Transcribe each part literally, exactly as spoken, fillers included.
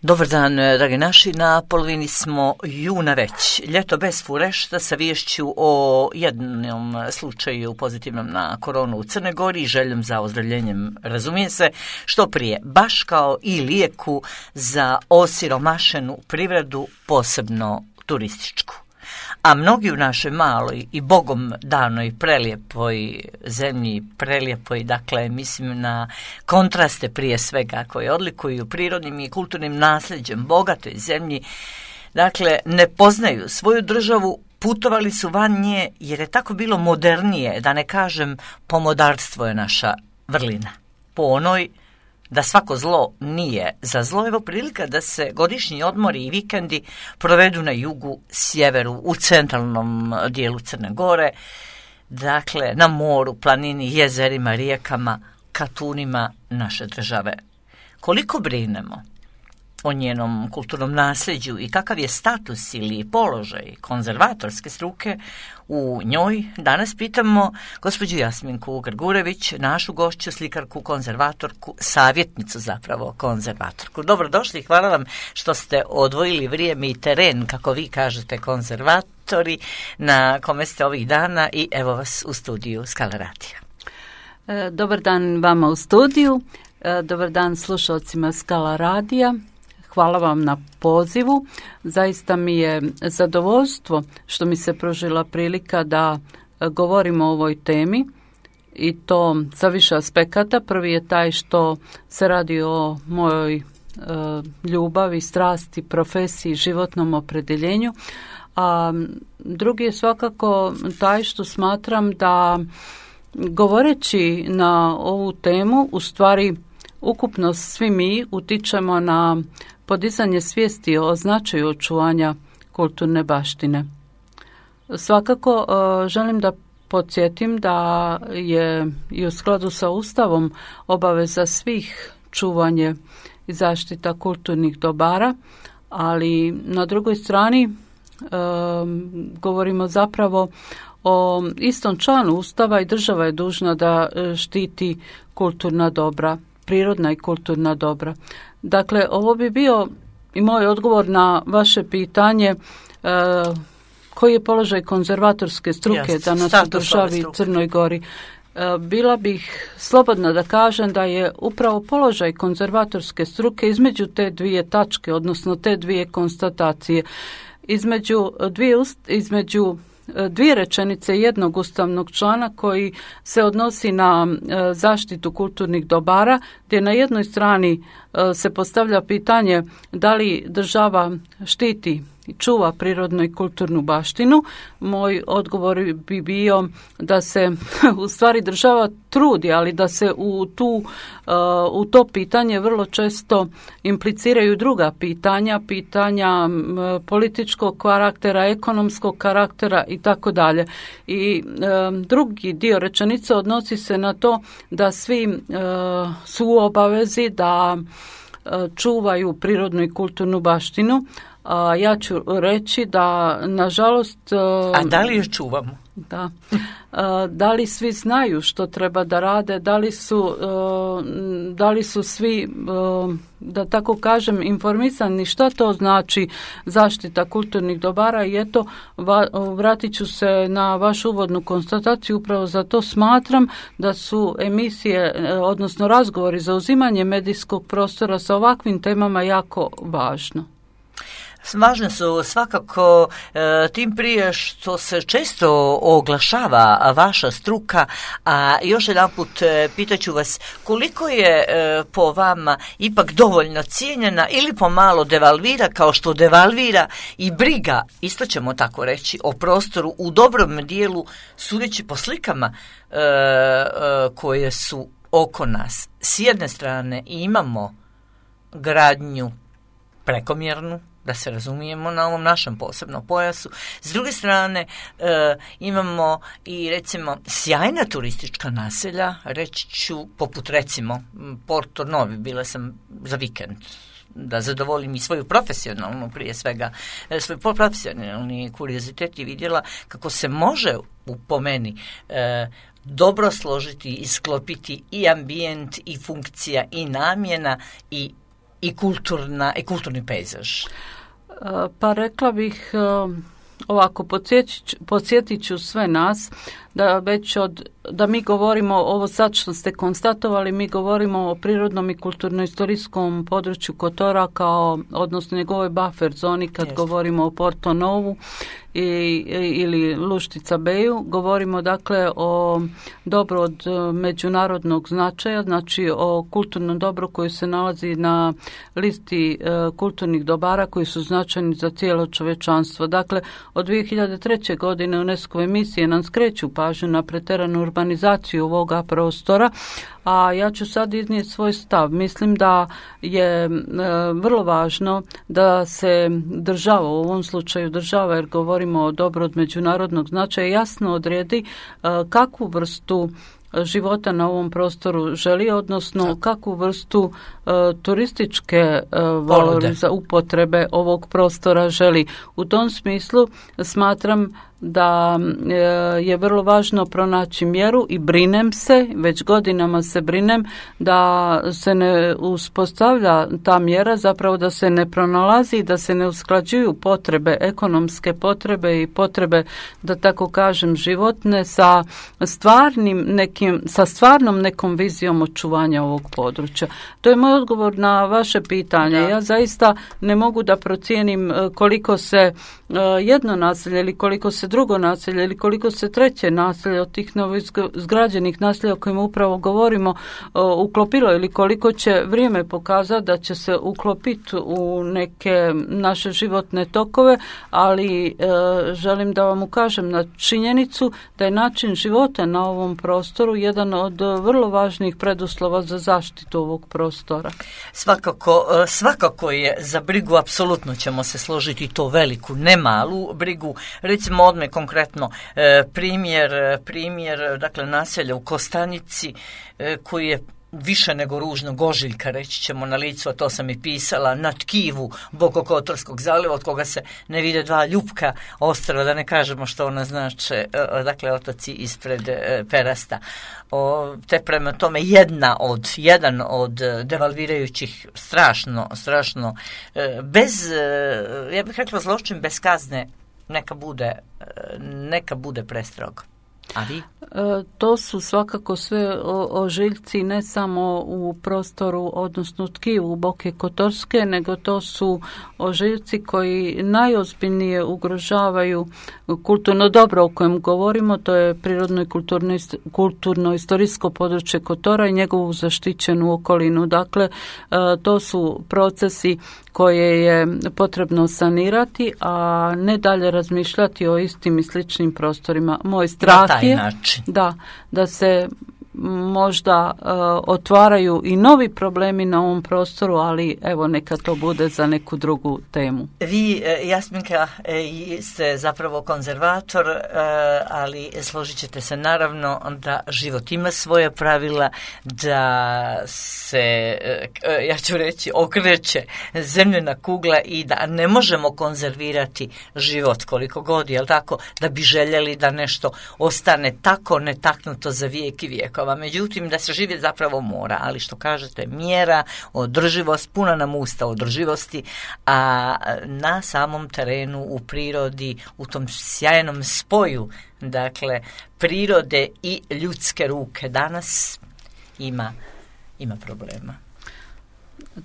Dobar dan, dragi naši, na polovini smo juna već. Ljeto bez furešta sa viješću o jednom slučaju pozitivnom na koronu u Crnoj Gori i željom za ozdravljenjem, razumije se, što prije, baš kao i lijeku za osiromašenu privredu, posebno turističku. A mnogi u našoj maloj i bogom danoj prelijepoj zemlji, prelijepoj, dakle, mislim na kontraste prije svega koje odlikuju prirodnim i kulturnim nasljeđem bogatoj zemlji, dakle, ne poznaju svoju državu, putovali su van nje jer je tako bilo modernije, da ne kažem pomodarstvo je naša vrlina. Po onoj da svako zlo nije za zlo, evo prilika da se godišnji odmori i vikendi provedu na jugu, sjeveru, u centralnom dijelu Crne Gore, dakle na moru, planini, jezerima, rijekama, katunima naše države. Koliko brinemo o njenom kulturnom nasljeđu i kakav je status ili položaj konzervatorske struke u njoj, danas pitamo gospođu Jasminku Grgurević, našu gošću, slikarku, konzervatorku, savjetnicu zapravo konzervatorku. Dobrodošli, hvala vam što ste odvojili vrijeme i teren, kako vi kažete, konzervatori, na kome ste ovih dana i evo vas u studiju Skala radija. Dobar dan vama u studiju, dobar dan slušalcima Skala radija. Hvala vam na pozivu. Zaista mi je zadovoljstvo što mi se pružila prilika da govorimo o ovoj temi i to sa više aspekata. Prvi je taj što se radi o mojoj e, ljubavi, strasti, profesiji, životnom opredjeljenju. A drugi je svakako taj što smatram da govoreći na ovu temu u stvari ukupno svi mi utičemo na podizanje svijesti o značaju očuvanja kulturne baštine. Svakako želim da podsjetim da je i u skladu sa Ustavom obaveza svih čuvanje i zaštita kulturnih dobara, ali na drugoj strani e, govorimo zapravo o istom članu Ustava i država je dužna da štiti kulturna dobra, prirodna i kulturna dobra. Dakle, ovo bi bio i moj odgovor na vaše pitanje e, koji je položaj konzervatorske struke Just, danas u državi Crnoj Gori. E, bila bih slobodna da kažem da je upravo položaj konzervatorske struke između te dvije tačke, odnosno te dvije konstatacije, između dvije, između dvije rečenice jednog ustavnog člana koji se odnosi na zaštitu kulturnih dobara, gdje na jednoj strani se postavlja pitanje da li država štiti i čuva prirodnu i kulturnu baštinu. Moj odgovor bi bio da se u stvari država trudi, ali da se u, tu, u to pitanje vrlo često impliciraju druga pitanja, pitanja političkog karaktera, ekonomskog karaktera i tako dalje. I drugi dio rečenice odnosi se na to da svi su u obavezi da čuvaju prirodnu i kulturnu baštinu. A ja ću reći da, nažalost... A da li je čuvamo? Da. Da li svi znaju što treba da rade, da li su, da li su svi, da tako kažem, informisani šta to znači zaštita kulturnih dobara i eto, vratit ću se na vašu uvodnu konstataciju, upravo zato smatram da su emisije, odnosno razgovori za uzimanje medijskog prostora sa ovakvim temama jako važno. Važne su svakako e, tim prije što se često oglašava vaša struka, a još jedanput e, pitaću vas koliko je e, po vama ipak dovoljno cijenjena ili pomalo devalvira kao što devalvira i briga, isto ćemo tako reći, o prostoru u dobrom dijelu sudeći po slikama e, e, koje su oko nas. S jedne strane imamo gradnju prekomjernu, da se razumijemo, na ovom našem posebnom pojasu. S druge strane e, imamo i recimo sjajna turistička naselja, reći ću poput recimo Porto Novi, bila sam za vikend da zadovoljim i svoju profesionalnu, prije svega svoj profesionalni kuriozitet i vidjela kako se može u, po meni e, dobro složiti i sklopiti i ambijent i funkcija i namjena i i, kulturna, i kulturni pejzaž? Pa rekla bih ovako, podsjetit ću sve nas da već od, da mi govorimo ovo sad što ste konstatovali, mi govorimo o prirodnom i kulturno-istorijskom području Kotora kao, odnosno njegovoj buffer zoni kad Jeste. govorimo o Porto Novu i, ili Luštica Beju, govorimo dakle o dobru od međunarodnog značaja, znači o kulturnom dobru koji se nalazi na listi e, kulturnih dobara koji su značajni za cijelo čovječanstvo. Dakle, od dvije hiljade treće. godine UNESCO emisije nam skreću pažnju na pretjeranu urbanizaciju ovoga prostora, a ja ću sad iznijeti svoj stav. Mislim da je e, vrlo važno da se država, u ovom slučaju država, jer govorimo o dobru od međunarodnog značaja, jasno odredi e, kakvu vrstu života na ovom prostoru želi, odnosno kakvu vrstu e, turističke e, valoriza upotrebe ovog prostora želi. U tom smislu smatram da e, je vrlo važno pronaći mjeru i brinem se, već godinama se brinem da se ne uspostavlja ta mjera, zapravo da se ne pronalazi, da se ne usklađuju potrebe, ekonomske potrebe i potrebe, da tako kažem, životne sa stvarnim nekim, sa stvarnom nekom vizijom očuvanja ovog područja. To je moj odgovor na vaše pitanje. Ja, ja zaista ne mogu da procijenim koliko se jedno naselje ili koliko se drugo naselje ili koliko se treće naselje od tih novoizgrađenih naselja o kojima upravo govorimo uklopilo ili koliko će vrijeme pokazati da će se uklopiti u neke naše životne tokove, ali e, želim da vam ukažem na činjenicu da je način života na ovom prostoru jedan od vrlo važnih preduslova za zaštitu ovog prostora. Svakako, svakako je za brigu, apsolutno ćemo se složiti, to veliku, ne malu brigu. Recimo odme konkretno e, primjer, primjer dakle naselja u Kostanici e, koji je više nego ružno, Gožiljka reći ćemo na licu, a to sam i pisala, na tkivu Bokokotorskog zaliva od koga se ne vide dva ljupka ostrva, da ne kažemo što ona znače, dakle otoci ispred Perasta. O, te prema tome jedna od, jedan od devalvirajućih strašno, strašno, bez, ja bih rekla zločin bez kazne, neka bude, neka bude prestrog. A vi? E, to su svakako sve ožiljci ne samo u prostoru, odnosno tkivu Boke Kotorske, nego to su ožiljci koji najozbiljnije ugrožavaju kulturno dobro o kojem govorimo, to je prirodno i kulturno, kulturno istorijsko područje Kotora i njegovu zaštićenu okolinu. Dakle, e, to su procesi koje je potrebno sanirati, a ne dalje razmišljati o istim i sličnim prostorima. Moj strah je da, da se možda uh, otvaraju i novi problemi na ovom prostoru, ali evo neka to bude za neku drugu temu. Vi, Jasminka, ste zapravo konzervator, ali složit ćete se naravno da život ima svoje pravila, da se, ja ću reći, okreće zemljena kugla i da ne možemo konzervirati život koliko god, jel tako, da bi željeli da nešto ostane tako netaknuto za vijek i vijekova. Međutim, da se živjeti zapravo mora, ali što kažete, mjera, održivost, puna nam usta održivosti, a na samom terenu, u prirodi, u tom sjajnom spoju, dakle, prirode i ljudske ruke danas ima, ima problema.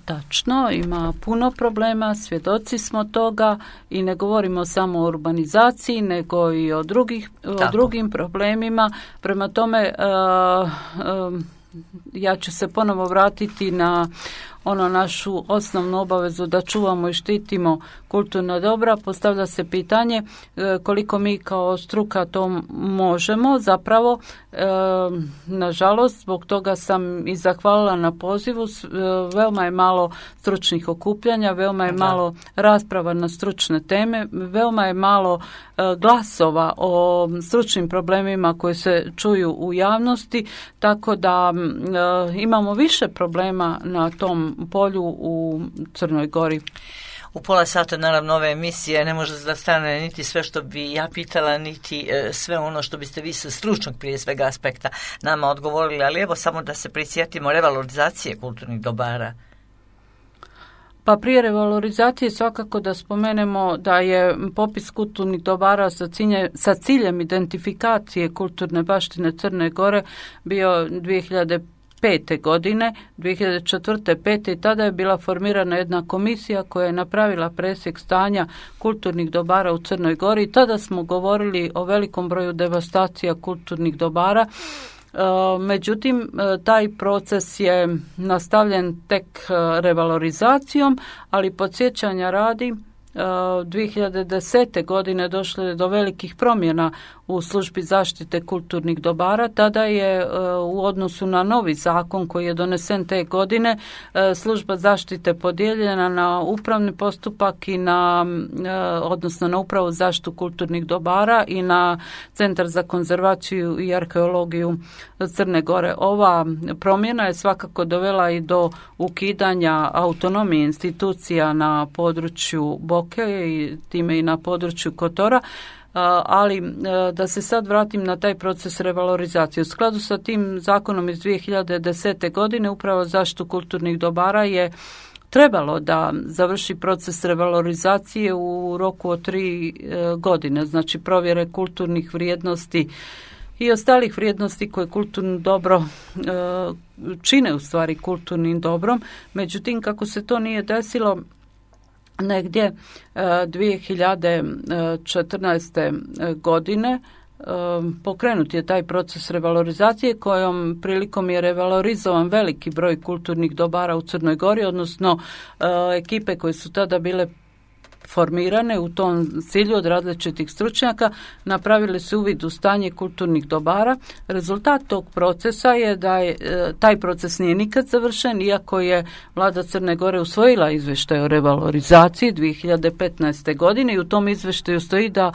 Tačno, ima puno problema, svjedoci smo toga i ne govorimo samo o urbanizaciji, nego i o, drugih, o drugim problemima. Prema tome, uh, uh, ja ću se ponovo vratiti na ono našu osnovnu obavezu da čuvamo i štitimo kulturna dobra. Postavlja se pitanje e, koliko mi kao struka to možemo. Zapravo, e, nažalost, zbog toga sam i zahvalila na pozivu. E, veoma je malo stručnih okupljanja, veoma je malo rasprava na stručne teme, veoma je malo e, glasova o stručnim problemima koji se čuju u javnosti, tako da e, imamo više problema na tom polju u Crnoj Gori. U pola sata, naravno, ove emisije ne može da stane niti sve što bi ja pitala, niti e, sve ono što biste vi sa stručnog prije svega aspekta nama odgovorili, ali evo samo da se prisjetimo revalorizacije kulturnih dobara. Pa prije revalorizacije svakako da spomenemo da je popis kulturnih dobara sa, cilje, sa ciljem identifikacije kulturne baštine Crne Gore bio dvije hiljade pete godine, dvije hiljade četvrte. pete i tada je bila formirana jedna komisija koja je napravila presjek stanja kulturnih dobara u Crnoj Gori i tada smo govorili o velikom broju devastacija kulturnih dobara. Međutim, taj proces je nastavljen tek revalorizacijom, ali podsjećanja radi, dvije hiljade desete. godine došlo je do velikih promjena u službi zaštite kulturnih dobara. Tada je u odnosu na novi zakon koji je donesen te godine služba zaštite podijeljena na upravni postupak i na, odnosno na upravu zaštitu kulturnih dobara i na Centar za konzervaciju i arheologiju Crne Gore. Ova promjena je svakako dovela i do ukidanja autonomije institucija na području Boke i time i na području Kotora. Ali da se sad vratim na taj proces revalorizacije. U skladu sa tim zakonom iz dvije hiljade desete. godine upravo zaštitu kulturnih dobara je trebalo da završi proces revalorizacije u roku od tri godine, znači provjere kulturnih vrijednosti i ostalih vrijednosti koje kulturno dobro čine u stvari kulturnim dobrom. Međutim, kako se to nije desilo, negdje dvije hiljade četrnaeste. godine pokrenut je taj proces revalorizacije kojom prilikom je revalorizovan veliki broj kulturnih dobara u Crnoj Gori, odnosno ekipe koje su tada bile formirane u tom cilju od različitih stručnjaka napravili su uvid u stanje kulturnih dobara. Rezultat tog procesa je da je, taj proces nije nikad završen, iako je vlada Crne Gore usvojila izvještaj o revalorizaciji dvije hiljade petnaeste. godine i u tom izvještaju stoji da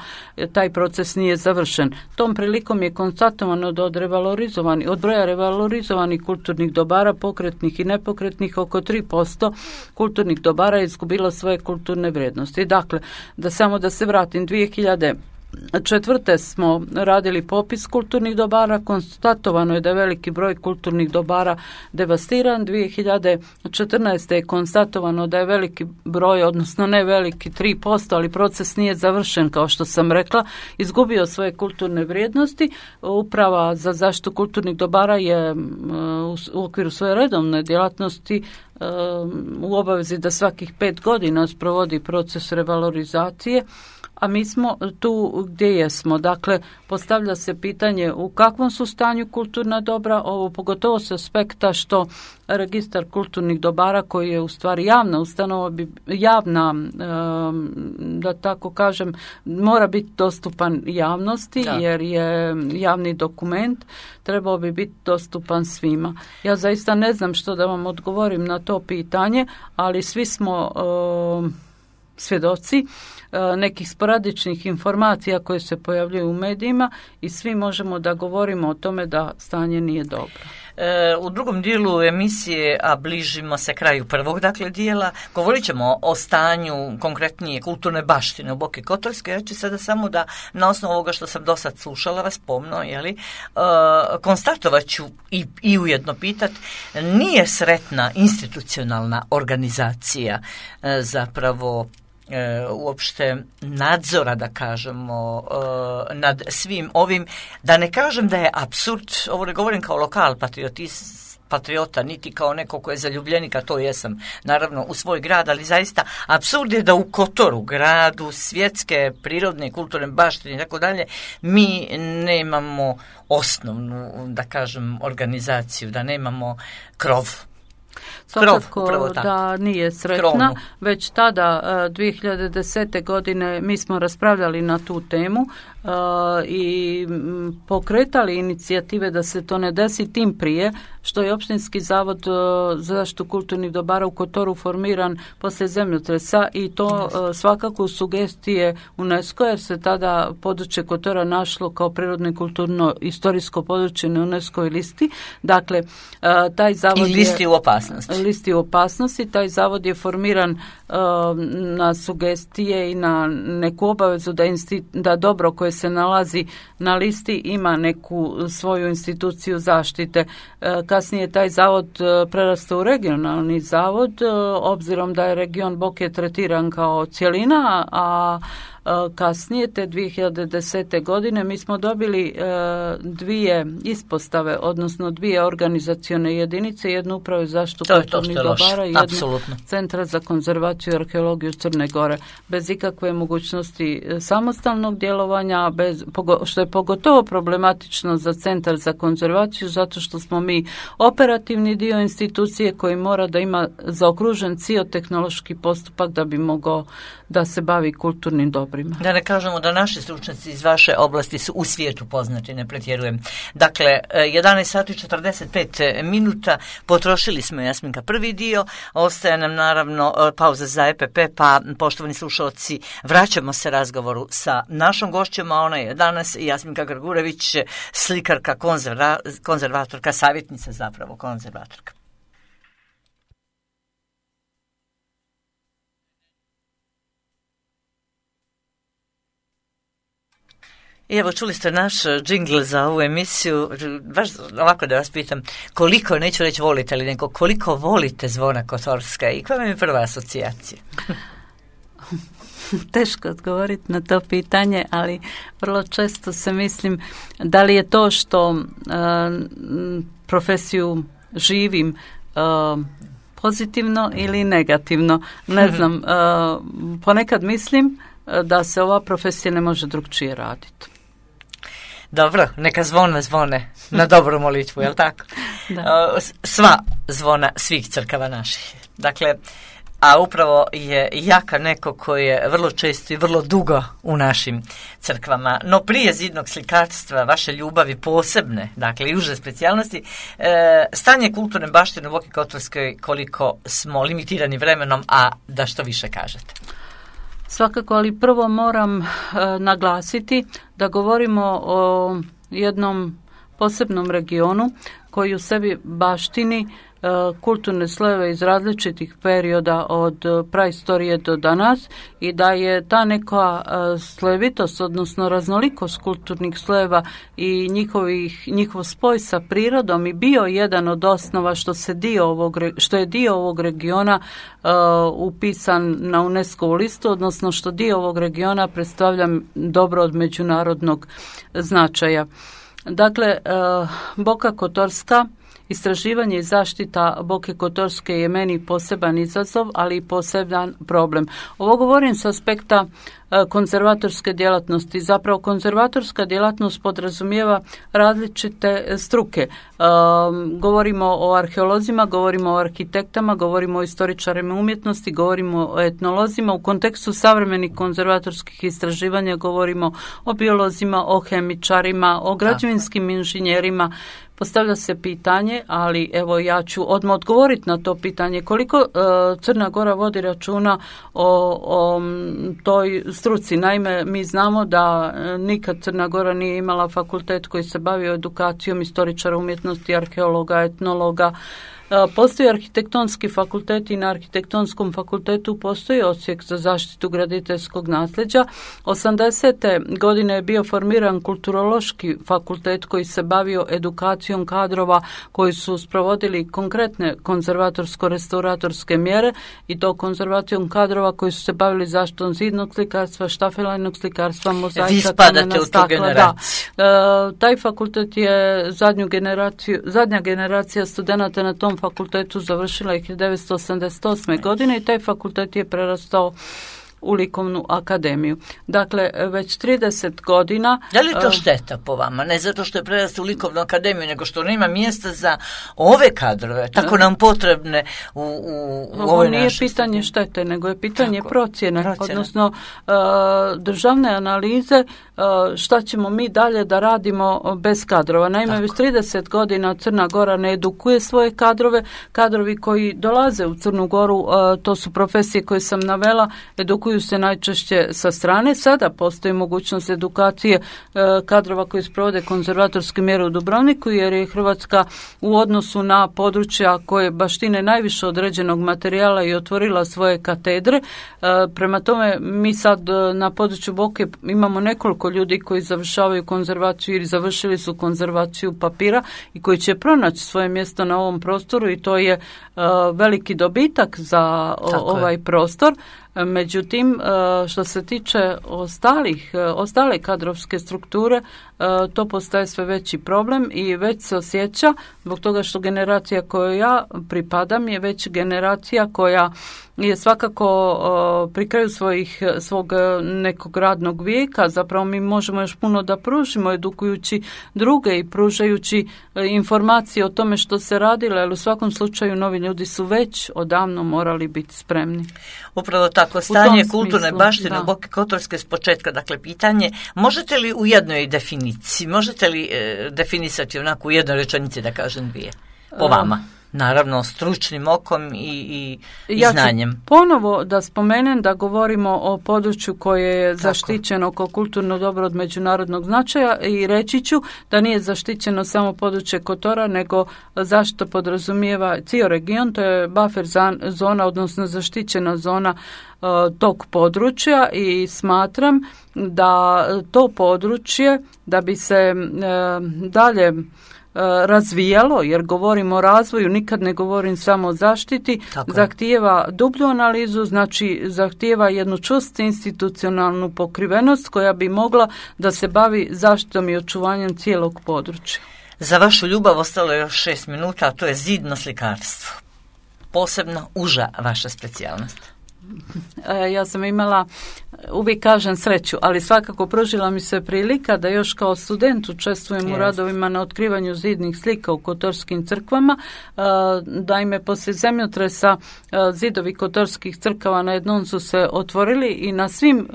taj proces nije završen. Tom prilikom je konstatovano da od, revalorizovani, od broja revalorizovanih kulturnih dobara, pokretnih i nepokretnih, oko tri posto kulturnih dobara je izgubilo svoje kulturne vrijednosti. Dakle, da samo da se vratim, dvije hiljade četvrte. smo radili popis kulturnih dobara, konstatovano je da je veliki broj kulturnih dobara devastiran. dvije hiljade četrnaeste. je konstatovano da je veliki broj, odnosno ne veliki, tri posto, ali proces nije završen, kao što sam rekla, izgubio svoje kulturne vrijednosti. Uprava za zaštitu kulturnih dobara je u okviru svoje redovne djelatnosti u obavezi da svakih pet godina sprovodi proces revalorizacije, a mi smo tu gdje jesmo. Dakle, postavlja se pitanje u kakvom su stanju kulturna dobra, ovo pogotovo s aspekta što registar kulturnih dobara koji je u stvari javna ustanova, javna, da tako kažem, mora biti dostupan javnosti, da. Jer je javni dokument, trebao bi biti dostupan svima. Ja zaista ne znam što da vam odgovorim na to pitanje, ali svi smo svjedoci nekih sporadičnih informacija koje se pojavljuju u medijima i svi možemo da govorimo o tome da stanje nije dobro. E, u drugom dijelu emisije, a bližimo se kraju prvog dakle dijela, govorit ćemo o stanju konkretnije kulturne baštine u Boki Kotorskoj. Ja ću sada samo da na osnovu ovoga što sam do sad slušala vas pomno, jeli, e, konstatovat ću i, i ujedno pitat, nije sretna institucionalna organizacija e, zapravo E, uopšte nadzora, da kažemo, e, nad svim ovim, da ne kažem da je apsurd, ovo ne govorim kao lokal patriotist, patriota, niti kao neko ko je zaljubljenik, a to jesam, naravno, u svoj grad, ali zaista apsurd je da u Kotoru, gradu svjetske, prirodne, kulturne baštine i tako dalje, mi nemamo osnovnu, da kažem, organizaciju, da nemamo krov. Svakako da nije sretna, Krovnu. Već tada dvije hiljade desete. godine mi smo raspravljali na tu temu uh, i pokretali inicijative da se to ne desi, tim prije što je Opštinski zavod uh, za zaštitu kulturnih dobara u Kotoru formiran poslije zemljotresa i to uh, svakako sugestije UNESCO, jer se tada područje Kotora našlo kao prirodno i kulturno istorijsko područje na UNESCO listi. Dakle, uh, taj zavod I listi je, u opasnosti. listi u opasnosti. Taj zavod je formiran uh, na sugestije i na neku obavezu da, insti, da dobro koje koje se nalazi na listi ima neku svoju instituciju zaštite. Kasnije taj zavod prerastao u regionalni zavod, obzirom da je region Boke tretiran kao cjelina, a kasnije, te dvije hiljade desete. godine, mi smo dobili e, dvije ispostave, odnosno dvije organizacione jedinice, jednu upravu za zaštitu kulturnih dobara i jednu Centra za konzervaciju i arheologiju Crne Gore. Bez ikakve mogućnosti samostalnog djelovanja, bez, što je pogotovo problematično za Centar za konzervaciju, zato što smo mi operativni dio institucije koji mora da ima zaokružen ciotehnološki postupak da bi mogao da se bavi kulturnim dobrima. Da ne kažemo da naši stručnjaci iz vaše oblasti su u svijetu poznati, ne pretjerujem. Dakle, jedanaest sati i četrdeset pet minuta, potrošili smo, Jasminka, prvi dio, ostaje nam naravno pauza za E P P, pa poštovani slušalci, vraćamo se razgovoru sa našom gošćom, a ona je danas Jasminka Grgurević, slikarka, konzerva, konzervatorka, savjetnica zapravo, konzervatorka. I evo, čuli ste naš džingl za ovu emisiju, baš ovako da vas pitam, koliko, neću reći volite, ali neko, koliko volite Zvona Kotorska i koja vam je prva asocijacija? Teško odgovoriti na to pitanje, ali vrlo često se mislim da li je to što uh, profesiju živim uh, pozitivno ili negativno. Ne znam, uh, ponekad mislim da se ova profesija ne može drugčije raditi. Dobro, neka zvona zvone na dobru molitvu, jel tako? Da. Sva zvona svih crkava naših. Dakle, a upravo je Jaka neko koji je vrlo često i vrlo dugo u našim crkvama. No prije zidnog slikarstva, vaše ljubavi posebne, dakle i uže specijalnosti, e, stanje kulturne baštine u Boki Kotorskoj, koliko smo limitirani vremenom, a da što više kažete? Svakako, ali prvo moram e, naglasiti da govorimo o jednom posebnom regionu koji u sebi baštini e, kulturne slojeve iz različitih perioda od praistorije do danas i da je ta neka e, slojevitost, odnosno raznolikost kulturnih slojeva i njihovih, njihov spoj sa prirodom i bio jedan od osnova što, se dio ovog, što je dio ovog regiona e, upisan na UNESCO listu, odnosno što dio ovog regiona predstavlja dobro od međunarodnog značaja. Dakle, e, Boka Kotorska, istraživanje i zaštita Boke Kotorske je meni poseban izazov, ali i poseban problem. Ovo govorim s aspekta e, konzervatorske djelatnosti. Zapravo konzervatorska djelatnost podrazumijeva različite struke. E, govorimo o arheolozima, govorimo o arhitektama, govorimo o istoričarima umjetnosti, govorimo o etnolozima. U kontekstu savremenih konzervatorskih istraživanja govorimo o biolozima, o hemičarima, o građevinskim inženjerima. Postavlja se pitanje, ali evo ja ću odmah odgovoriti na to pitanje, koliko e, Crna Gora vodi računa o, o toj struci. Naime, mi znamo da nikad Crna Gora nije imala fakultet koji se bavio edukacijom istoričara umjetnosti, arheologa, etnologa. Postoji arhitektonski fakultet i na arhitektonskom fakultetu postoji odsjek za zaštitu graditeljskog nasljeđa. osamdesete godine je bio formiran kulturološki fakultet koji se bavio edukacijom kadrova koji su sprovodili konkretne konzervatorsko-restauratorske mjere i to konzervacijom kadrova koji su se bavili zaštitom zidnog slikarstva, štafelajnog slikarstva, mozaika, kamena, stakla. Da. E, taj fakultet je zadnju generaciju, zadnja generacija studenata na tom fakultetu završila je hiljadu devetsto osamdeset osme. godine i taj fakultet je prerastao u likovnu akademiju. Dakle, već trideset godina... Je li to šteta po vama? Ne zato što je prerastao u likovnu akademiju, nego što nema mjesta za ove kadrove, tako nam potrebne u, u, u Ovo nije pitanje štete, nego je pitanje tako, procjene, procjene, odnosno uh, državne analize uh, šta ćemo mi dalje da radimo bez kadrova. Naime, tako. Već trideset godina Crna Gora ne edukuje svoje kadrove. Kadrovi koji dolaze u Crnu Goru, uh, to su profesije koje sam navela, edukuju edukuju se najčešće sa strane. Sada postoji mogućnost edukacije kadrova koji sprovode konzervatorske mjere u Dubrovniku, jer je Hrvatska u odnosu na područja koje baštine najviše određenog materijala i otvorila svoje katedre. Prema tome, mi sad na području Boke imamo nekoliko ljudi koji završavaju konzervaciju ili završili su konzervaciju papira i koji će pronaći svoje mjesto na ovom prostoru i to je veliki dobitak za ovaj prostor. Međutim, što se tiče ostalih, ostale kadrovske strukture, to postaje sve veći problem i već se osjeća zbog toga što generacija kojoj ja pripadam je već generacija koja je svakako pri kraju svojih, svog nekog radnog vijeka. Zapravo mi možemo još puno da pružimo edukujući druge i pružajući informacije o tome što se radilo, jer u svakom slučaju novi ljudi su već odavno morali biti spremni. Upravo tako, stanje kulturne baštine u Boki Kotorske s početka, dakle pitanje, možete li u jednoj definiciji, možete li e, definisati onako u jednoj rečenici, da kažem dvije, po vama? Naravno, stručnim okom i, i, i ja znanjem. Ću ponovo da spomenem da govorimo o području koje je Tako. zaštićeno kao kulturno dobro od međunarodnog značaja i reći ću da nije zaštićeno samo područje Kotora, nego zašto podrazumijeva cijel region, to je buffer zona, odnosno zaštićena zona uh, tog područja i smatram da to područje, da bi se uh, dalje razvijalo, jer govorim o razvoju, nikad ne govorim samo o zaštiti, Tako. zahtijeva dublju analizu, znači zahtijeva jednu čvrstu institucionalnu pokrivenost koja bi mogla da se bavi zaštitom i očuvanjem cijelog područja. Za vašu ljubav ostalo je još šest minuta, a to je zidno slikarstvo. Posebno uža vaša specijalnost. Ja sam imala, uvijek kažem sreću, ali svakako pružila mi se prilika da još kao student učestvujem yes. u radovima na otkrivanju zidnih slika u kotorskim crkvama. Naime, poslije zemljotresa zidovi kotorskih crkava na jednom su se otvorili i na svim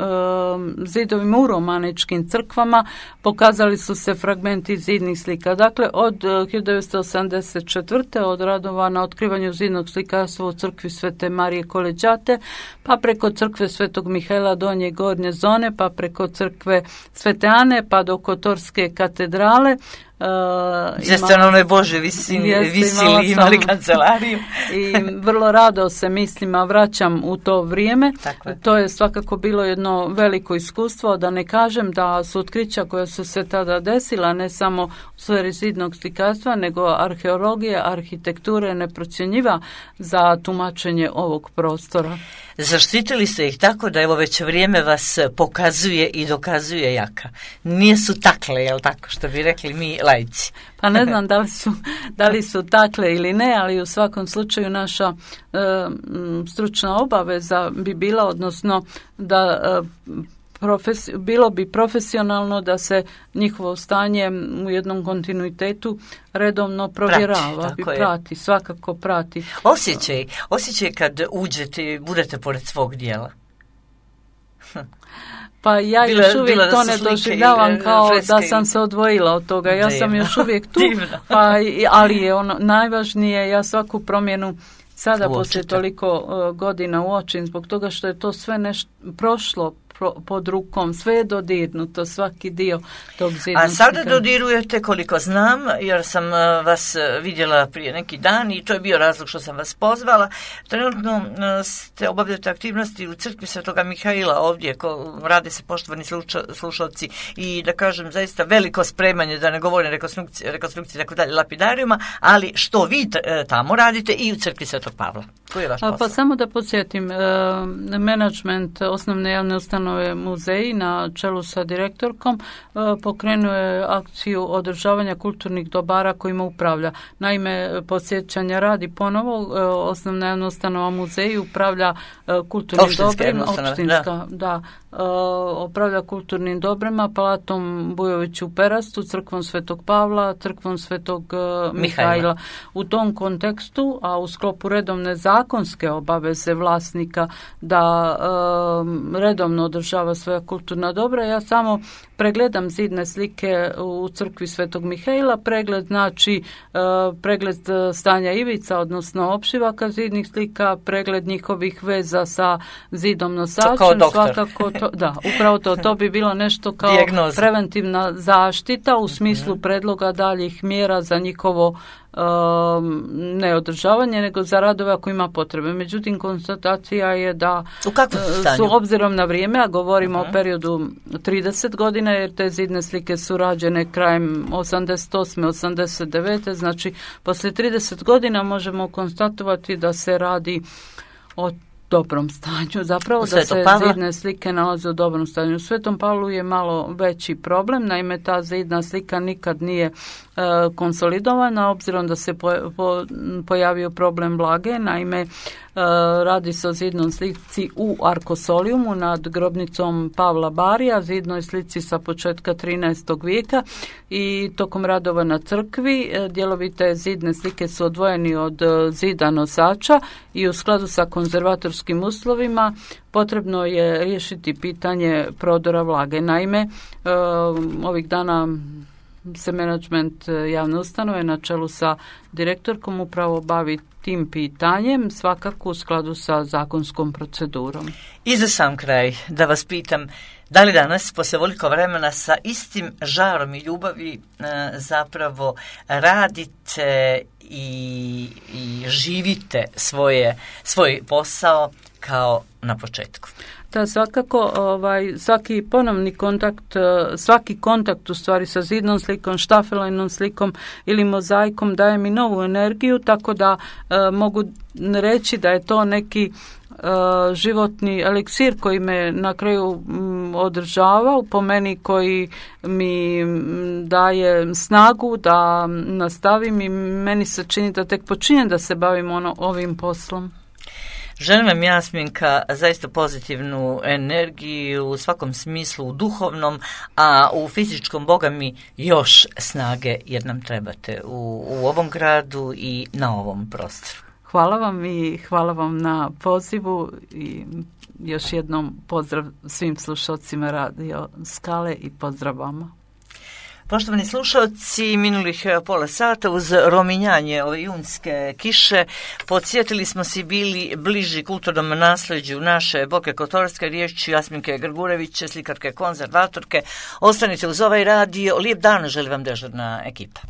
zidovima u romaničkim crkvama pokazali su se fragmenti zidnih slika. Dakle, od hiljadu devetsto osamdeset četvrte od radova na otkrivanju zidnog slikarstva u crkvi Svete Marije Koleđate, pa preko crkve Svetog Mihajla Donje i Gornje zone, pa preko crkve Svete Ane, pa do Kotorske katedrale. Uh, Jeste na onoj Bože visini, jeste, visili, imali kancelariju. I vrlo rado se mislima vraćam u to vrijeme. To je svakako bilo jedno veliko iskustvo, da ne kažem da su otkrića koja su se tada desila, ne samo u sferi zidnog slikarstva, nego arheologije, arhitekture neprocjenjiva za tumačenje ovog prostora. Zaštitili ste ih tako da evo već vrijeme vas pokazuje i dokazuje jaka. Nisu takle, jel tako, što bi rekli mi laici? Pa ne znam da li su, da li su takle ili ne, ali u svakom slučaju naša e, stručna obaveza bi bila, odnosno da e, Profes, bilo bi profesionalno da se njihovo stanje u jednom kontinuitetu redovno provjerava, prati, bi prati, je. svakako prati. Osjećaj, osjećaj kad uđete i budete pored svog dijela. Pa ja bila, još uvijek to ne doživljavam kao da sam se odvojila od toga. Ja Divno. sam još uvijek tu, pa, ali je ono najvažnije, ja svaku promjenu sada Uočite. poslije toliko uh, godina uočim, zbog toga što je to sve nešto prošlo pod rukom, sve je dodirnuto, svaki dio tog zidnog A sada slika. dodirujete, koliko znam, jer sam vas vidjela prije neki dan i to je bio razlog što sam vas pozvala. Trenutno ste obavljate aktivnosti u crkvi Svetoga Mihajla ovdje, ko rade se poštovani sluča, slušalci i da kažem zaista veliko spremanje, da ne govorim rekonstrukcije, rekonstrukcije tako dalje, lapidarijuma, ali što vi tamo radite i u crkvi Svetog Pavla. Koji je vaš posao? Pa samo da podsjetim, e, menadžment osnovne javne ustanove muzeji na čelu sa direktorkom e, pokrenuo je akciju održavanja kulturnih dobara kojima upravlja. Naime, podsjećanja radi ponovo, e, osnovna javna ustanova muzeji upravlja e, kulturnim dobrima, opštinska, da, da e, upravlja kulturnim dobrima, Palatom Bujović u Perastu, crkvom Svetog Pavla, crkvom Svetog e, Mihajla. U tom kontekstu, a u sklopu redovne zakonske obaveze vlasnika da e, redovno održava svoja kulturna dobra. Ja samo pregledam zidne slike u crkvi Svetog Mihaila, pregled znači pregled stanja ivica, odnosno opšivaka zidnih slika, pregled njihovih veza sa zidom nosačem, svakako to, da, upravo to, to bi bilo nešto kao dijagnoza, preventivna zaštita u smislu predloga daljih mjera za njihovo Um, ne održavanje, nego za radove ako ima potrebe. Međutim, konstatacija je da su obzirom na vrijeme, a govorimo uh-huh. o periodu trideset godina, jer te zidne slike su rađene krajem osamdeset osme osamdeset devete znači poslije trideset godina možemo konstatovati da se radi o dobrom stanju. Zapravo da se Pavla? zidne slike nalaze u dobrom stanju. U Svetom Pavlu je malo veći problem, naime ta zidna slika nikad nije e, konsolidovana, obzirom da se po, po, pojavio problem vlage, naime e, radi se o zidnoj slici u arkosolijumu nad grobnicom Pavla Barija, zidnoj slici sa početka trinaestog vijeka i tokom radova na crkvi e, dijelovi te zidne slike su odvojeni od e, zida nosača i u skladu sa konzervatorskim uslovima potrebno je riješiti pitanje prodora vlage. Naime, e, ovih dana se menadžment javne ustanove na čelu sa direktorkom upravo bavi tim pitanjem, svakako u skladu sa zakonskom procedurom. I za sam kraj da vas pitam, da li danas, poslije ovoliko vremena, sa istim žarom i ljubavi e, zapravo radite i, i živite svoje, svoj posao kao na početku? Da, svakako ovaj, svaki ponovni kontakt, svaki kontakt u stvari sa zidnom slikom, štafeljnom slikom ili mozaikom daje mi novu energiju, tako da e, mogu reći da je to neki e, životni eliksir koji me na kraju m, održava, po meni koji mi m, daje snagu da nastavim i meni se čini da tek počinjem da se bavim ono, ovim poslom. Želim vam, Jasminka, zaista pozitivnu energiju u svakom smislu, u duhovnom, a u fizičkom, Boga mi, još snage, jer nam trebate u, u ovom gradu i na ovom prostoru. Hvala vam i hvala vam na pozivu i još jednom pozdrav svim slušalcima Radio Skale i pozdrav vama. Poštovani slušalci, minulih pola sata uz rominjanje ove junske kiše podsjetili smo si bili bliži kulturnom nasljeđu naše Boke Kotorske, riječju Jasminke Grgurević, slikarke konzervatorke. Ostanite uz ovaj radio. Lijep dan želim vam dežurna ekipa.